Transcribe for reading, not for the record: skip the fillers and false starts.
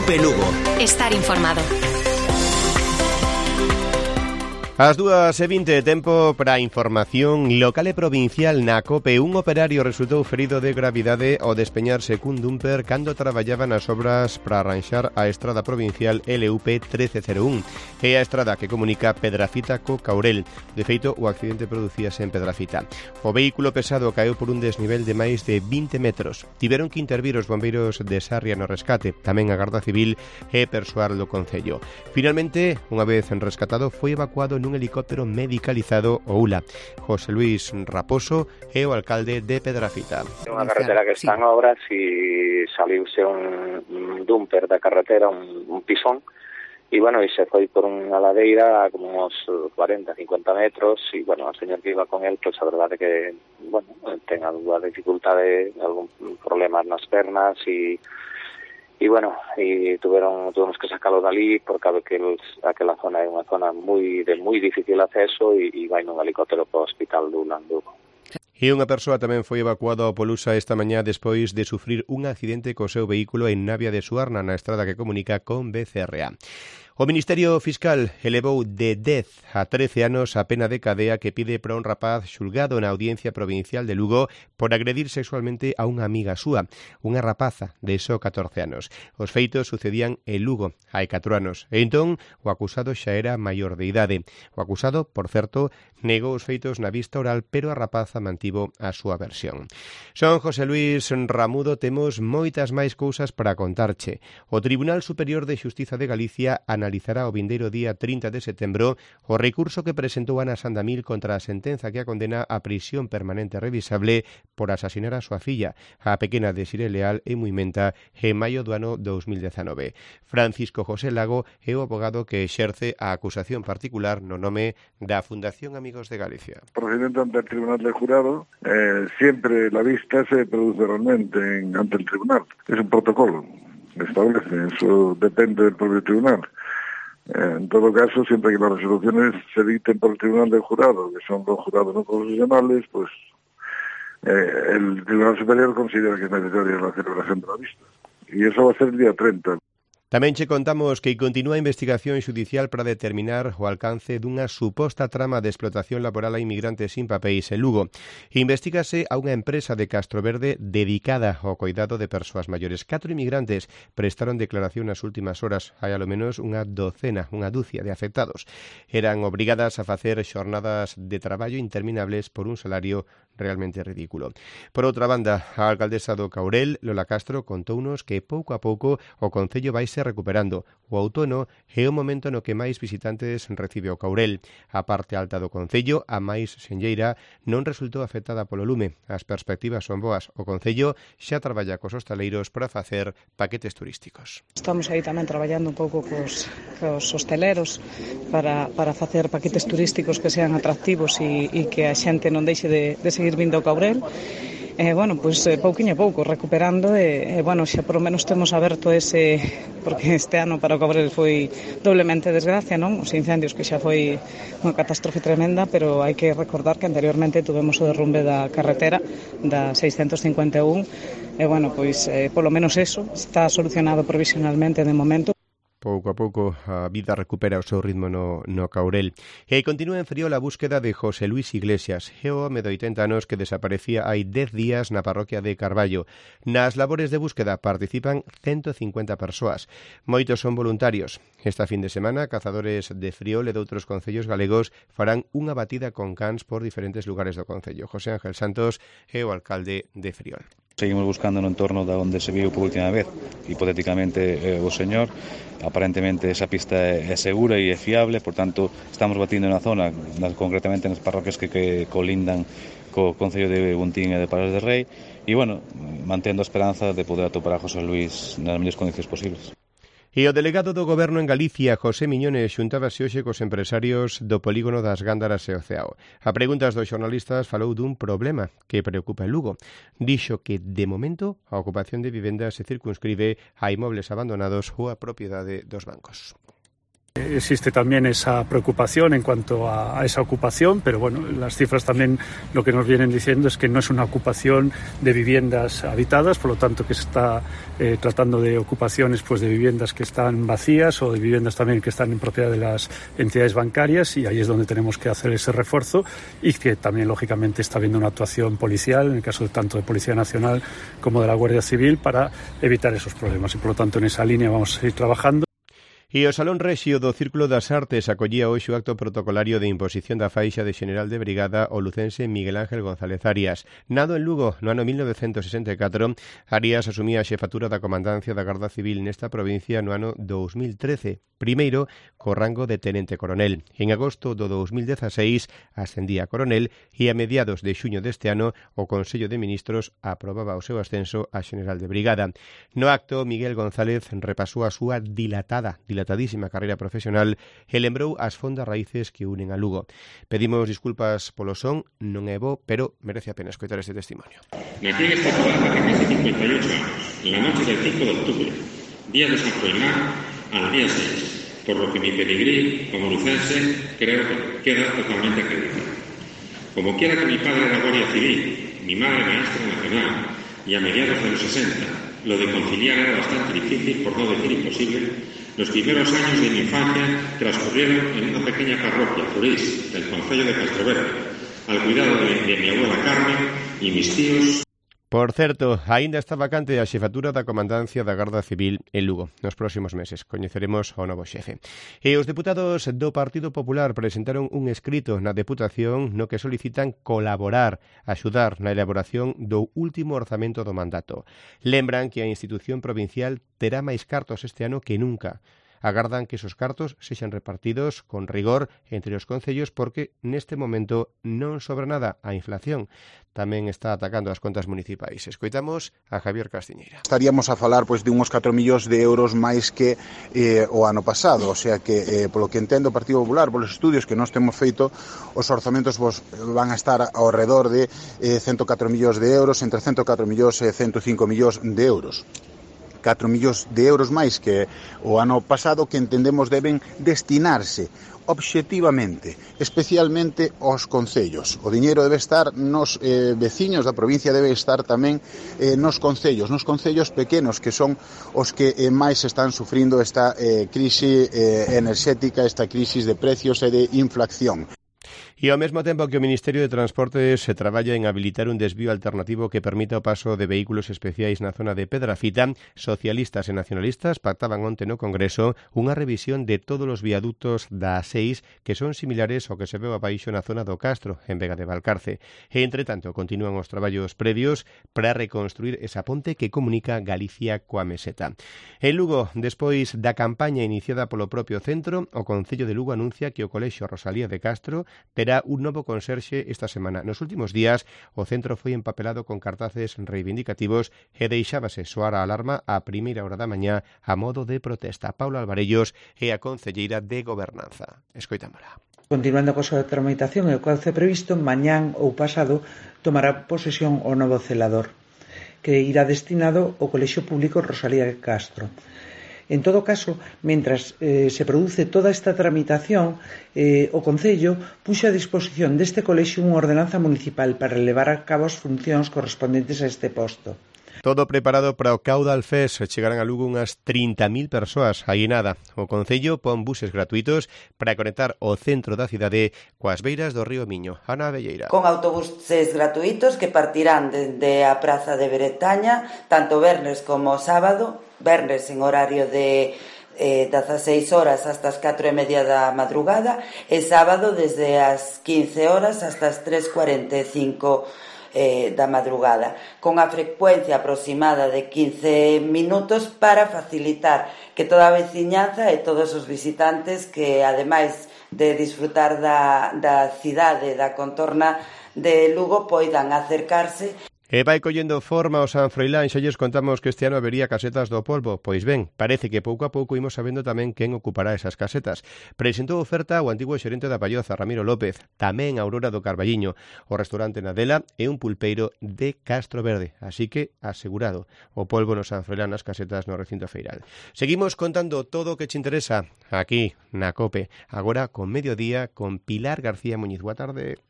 Cope Lugo. Estar informado. As 2:20, tempo para a información local e provincial na COPE. Un operario resultou ferido de gravidade ao despeñarse cun dumper cando traballaba nas obras para arranxar a estrada provincial LUP 1301. É a estrada que comunica Pedrafita co Caurel. De feito, o accidente producíase en Pedrafita. O vehículo pesado caeu por un desnivel de máis de 20 metros. Tiveron que intervir os bombeiros de Sarria no rescate, tamén a Garda Civil e persoal do Concello. Finalmente, unha vez rescatado, foi evacuado nun helicóptero medicalizado o ULA. José Luis Raposo é o alcalde de Pedrafita. É unha carretera que está en obras e saliuse un dumper da carretera, un pisón, e bueno, e se foi por unha ladeira a como uns 40-50 metros e bueno, o señor que iba con él, pues a verdade que, bueno, ten algunha dificultade, algún problema nas pernas e bueno, e tuvemos que sacarlo dali porque aquela zona é unha zona de moi difícil acceso e vai nun helicóptero para o hospital do Landugo. E unha persoa tamén foi evacuada ao Polusa esta mañá despois de sufrir un accidente co seu vehículo en Navia de Suarna, na estrada que comunica con BCRA. O Ministerio Fiscal elevou de 10 a 13 anos a pena de cadea que pide para un rapaz xulgado na Audiencia Provincial de Lugo por agredir sexualmente a unha amiga súa, unha rapaza de só 14 anos. Os feitos sucedían en Lugo hai 4 anos e entón o acusado xa era maior de idade. O acusado, por certo, negou os feitos na vista oral, pero a rapaza mantivo a súa versión. Son José Luis Ramudo, temos moitas máis cousas para contarche. O Tribunal Superior de Xustiza de Galicia analizará o vindeiro día 30 de setembro o recurso que presentou Ana Sandamil contra a sentenza que a condena a prisión permanente revisable por asasinar a súa filla, a pequena Desiré Leal e Muimenta, en maio do ano 2019. Francisco José Lago é o abogado que exerce a acusación particular no nome da Fundación Amigos de Galicia. O procedimiento ante el Tribunal del Jurado, siempre la vista se produce realmente ante el Tribunal. Es un protocolo que establece, eso depende del propio Tribunal. En todo caso, siempre que las resoluciones se dicten por el Tribunal del Jurado, que son los jurados no profesionales, pues el Tribunal Superior considera que es necesaria la celebración de la vista. Y eso va a ser el día 30. Tamén che contamos que continúa a investigación xudicial para determinar o alcance dunha suposta trama de explotación laboral a inmigrantes sin papéis en Lugo. Investígase a unha empresa de Castroverde dedicada ao cuidado de persoas maiores. 4 inmigrantes prestaron declaración nas últimas horas. Hai alo menos unha dúcia de afectados. Eran obrigadas a facer xornadas de traballo interminables por un salario realmente ridículo. Por outra banda, a alcaldesa do Caurel, Lola Castro, contounos que pouco a pouco o Concello vaise recuperando. O outono é o momento no que máis visitantes recibe o Caurel. A parte alta do Concello, a máis senlleira, non resultou afectada polo lume. As perspectivas son boas. O Concello xa traballa cos hostaleiros para facer paquetes turísticos. Estamos aí tamén traballando un pouco cos hosteleros para facer paquetes turísticos que sean atractivos e que a xente non deixe de seguir vindo ao Caurel. Bueno, pois pouquiño a pouco, recuperando bueno, xa por lo menos temos aberto ese, porque este ano para o Cabrel foi doblemente desgracia, non? Os incendios que xa foi unha catástrofe tremenda, pero hai que recordar que anteriormente tuvemos o derrumbe da carretera da 651 bueno, pois polo menos eso está solucionado provisionalmente de momento. Pouco a pouco a vida recupera o seu ritmo no Caurel. E continúa en Friol a búsqueda de José Luis Iglesias, é o home de 80 anos que desaparecía hai 10 días na parroquia de Carballo. Nas labores de búsqueda participan 150 persoas. Moitos son voluntarios. Esta fin de semana, cazadores de Friol e de outros concellos galegos farán unha batida con cans por diferentes lugares do concello. José Ángel Santos é o alcalde de Friol. Seguimos buscando no entorno da onde se viu por última vez, hipotéticamente o señor. Aparentemente esa pista é segura e é fiable, por tanto estamos batindo na zona, concretamente nas parroquias que colindan co Concello de Buntín e de Palas de Rei, e bueno, mantendo a esperanza de poder atopar a José Luis nas mellores condicións posibles. E o delegado do Goberno en Galicia, José Miñones, xuntábase hoxe cos empresarios do polígono das Gándaras e o Ceao. A preguntas dos xornalistas falou dun problema que preocupa en Lugo. Dixo que, de momento, a ocupación de vivendas se circunscribe a inmobles abandonados ou a propiedade dos bancos. Existe también esa preocupación en cuanto a esa ocupación, pero bueno, las cifras también lo que nos vienen diciendo es que no es una ocupación de viviendas habitadas, por lo tanto que se está tratando de ocupaciones pues de viviendas que están vacías o de viviendas también que están en propiedad de las entidades bancarias, y ahí es donde tenemos que hacer ese refuerzo, y que también lógicamente está habiendo una actuación policial, en el caso de tanto de Policía Nacional como de la Guardia Civil, para evitar esos problemas, y por lo tanto en esa línea vamos a seguir trabajando. E o Salón Rexio do Círculo das Artes acollía hoxe o acto protocolario de imposición da faixa de xeneral de brigada o lucense Miguel Ángel González Arias. Nado en Lugo no ano 1964, Arias asumía a xefatura da comandancia da Garda Civil nesta provincia no ano 2013, primeiro co rango de tenente coronel. En agosto do 2016 ascendía a coronel e a mediados de xuño deste ano o Consello de Ministros aprobaba o seu ascenso a xeneral de brigada. No acto, Miguel González repasou a súa dilatadísima carreira profesional e lembrou as fondas raíces que unen a Lugo. Pedimos disculpas polo son, non é bo, pero merece a pena escoitar este testimonio. Nací en esta ciudad hace casi 58 años, en la noche del 5 de octubre, día de San Froilán, al día 6, por lo que mi pedigrí como lucense creo que queda totalmente acreditado. Como quiera que mi padre era guardia civil, mi madre maestra nacional, y a mediados de los 60 lo de conciliar era bastante difícil, por no decir imposible, los primeros años de mi infancia transcurrieron en una pequeña parroquia, Zurís, del concello de Castroverde, al cuidado de mi abuela Carmen y mis tíos. Por certo, aínda está vacante a xefatura da comandancia da Garda Civil en Lugo. Nos próximos meses coñeceremos ao novo xefe. E os deputados do Partido Popular presentaron un escrito na Deputación no que solicitan colaborar, axudar na elaboración do último orzamento do mandato. Lembran que a institución provincial terá máis cartos este ano que nunca. Agardan que esos cartos sexan repartidos con rigor entre os concellos porque neste momento non sobra nada. A inflación tamén está atacando as contas municipais. Escoitamos a Javier Castiñeira. Estaríamos a falar pois de uns 4 millóns de euros máis que o ano pasado, o sea que polo que entendo o Partido Popular, polos estudios que nós temos feito, os orzamentos van a estar ao redor de 104 millóns de euros, entre 104 millóns e 105 millóns de euros. 4 millóns de euros máis que o ano pasado, que entendemos deben destinarse obxectivamente, especialmente aos concellos. O diñeiro debe estar nos veciños da provincia, debe estar tamén nos concellos pequenos, que son os que máis están sufrindo esta crise enerxética, esta crisis de precios e de inflación. E ao mesmo tempo que o Ministerio de Transportes se traballa en habilitar un desvío alternativo que permita o paso de vehículos especiais na zona de Pedrafita, socialistas e nacionalistas pactaban onte no Congreso unha revisión de todos os viadutos da A6 que son similares ao que se veu abaixo na zona do Castro, en Vega de Valcarce. E, entre tanto, continúan os traballos previos para reconstruir esa ponte que comunica Galicia coa Meseta. En Lugo, despois da campaña iniciada polo propio centro, o Concello de Lugo anuncia que o Colexio Rosalía de Castro terá un novo conserxe esta semana. Nos últimos días, o centro foi empapelado con cartaces reivindicativos e deixábase soar a alarma a primeira hora da mañá a modo de protesta. Paula Alvarellos é a concelleira de Gobernanza. Escoitámola. Continuando coa súa tramitación e o cauce previsto, mañán ou pasado tomará posesión o novo celador, que irá destinado ao Colexio Público Rosalía de Castro. En todo caso, mentras se produce toda esta tramitación, o Concello puxo a disposición deste colexio unha ordenanza municipal para levar a cabo as funcións correspondentes a este posto. Todo preparado para o Caudal Fest. Chegarán a Lugo unhas 30.000 persoas. Aí nada. O Concello pon buses gratuitos para conectar o centro da cidade coas beiras do río Miño. Ana Velleira. Con autobuses gratuitos que partirán dende a Praza de Bretaña, tanto vernes como sábado, vernes en horario de 16 horas hasta as 4:30 da madrugada e sábado desde as 15 horas hasta as 3:45 da madrugada, con a frecuencia aproximada de 15 minutos para facilitar que toda a veciñanza e todos os visitantes que, ademais de disfrutar da cidade, da contorna de Lugo, poidan acercarse. E vai collendo forma o San Froilán, xa lles contamos que este ano habería casetas do polvo. Pois ben, parece que pouco a pouco imos sabendo tamén quen ocupará esas casetas. Presentou oferta o antigo xerente da Palloza, Ramiro López, tamén Aurora do Carballiño, o restaurante Nadela e un pulpeiro de Castro Verde. Así que, asegurado, o polvo no San Froilán nas casetas no recinto feiral. Seguimos contando todo o que te interesa aquí na COPE, agora con Mediodía, con Pilar García Muñiz. Boa tarde.